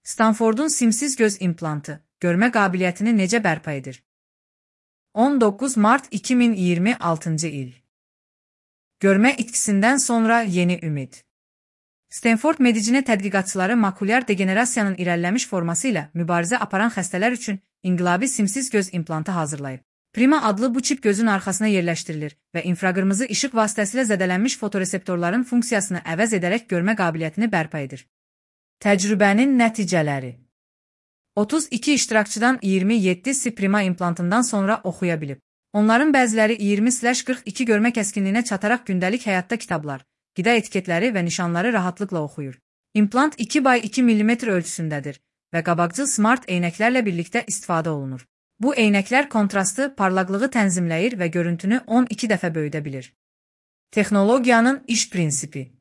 Stanfordun simsiz göz implantı, görmə qabiliyyətini necə bərpa edir? 19 Mart 2026 il. Görmə itkisindən sonra yeni ümid. Stanford Medicine tədqiqatçıları makulyar degenerasiyanın irəliləmiş forması ilə mübarizə aparan xəstələr üçün inqilabi simsiz göz implantı hazırlayıb. Prima adlı bu çip gözün arxasına yerləşdirilir və infraqırmızı işıq vasitəsilə zədələnmiş fotoreseptorların funksiyasını əvəz edərək görmə qabiliyyətini bərpa edir. Təcrübənin nəticələri. 32 iştirakçıdan 27'si Prima implantından sonra oxuya bilib. Onların bəziləri 20/42 görmə kəskinliyinə çataraq gündəlik həyatda kitablar, qida etiketləri və nişanları rahatlıqla oxuyur. İmplant 2x2 mm ölçüsündədir və qabaqcıl smart eynəklərlə birlikdə istifadə olunur. Bu eynəklər kontrastı, parlaqlığı tənzimləyir və görüntünü 12 dəfə böyüdə bilir. Texnologiyanın iş prinsipi.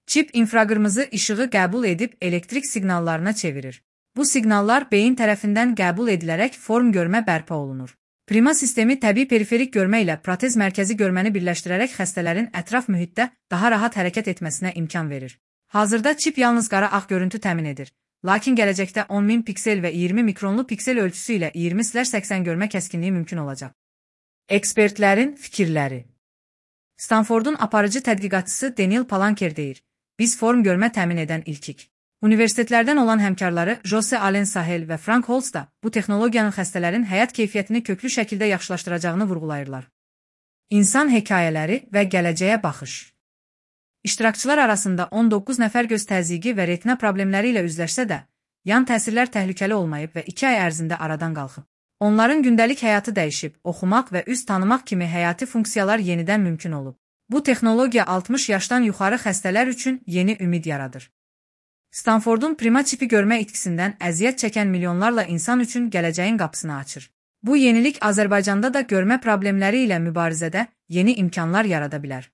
Çip infraqırmızı işığı qəbul edib elektrik siqnallarına çevirir. Bu siqnallar beyin tərəfindən qəbul edilərək form görmə bərpa olunur. Prima sistemi təbii periferik görmə ilə protez mərkəzi görməni birləşdirərək xəstələrin ətraf mühitdə daha rahat hərəkət etməsinə imkan verir. Hazırda çip yalnız qara-ağ görüntü təmin edir. Lakin gələcəkdə 10.000 piksel və 20 mikronlu piksel ölçüsü ilə 20/80 görmə kəskinliyi mümkün olacaq. Ekspertlərin fikirləri. Stanfordun aparıcı tədqiqatçısı Daniel Palanker deyir: "Biz form görmə təmin edən ilkik." Universitetlərdən olan həmkarları Jose Allen Sahel və Frank Holz da bu texnologiyanın xəstələrin həyat keyfiyyətini köklü şəkildə yaxşılaşdıracağını vurğulayırlar. İnsan hekayələri və gələcəyə baxış. İştirakçılar arasında 19 nəfər göz təzyiqi və retina problemləri ilə üzləşsə də, yan təsirlər təhlükəli olmayıb və 2 ay ərzində aradan qalxıb. Onların gündəlik həyatı dəyişib, oxumaq və üz tanımaq kimi həyati funksiyalar yenidən mümkün olub. Bu texnologiya 60 yaşdan yuxarı xəstələr üçün yeni ümid yaradır. Stanfordun Prima çipi görmə itkisindən əziyyət çəkən milyonlarla insan üçün gələcəyin qapısını açır. Bu yenilik Azərbaycanda da görmə problemləri ilə mübarizədə yeni imkanlar yarada bilər.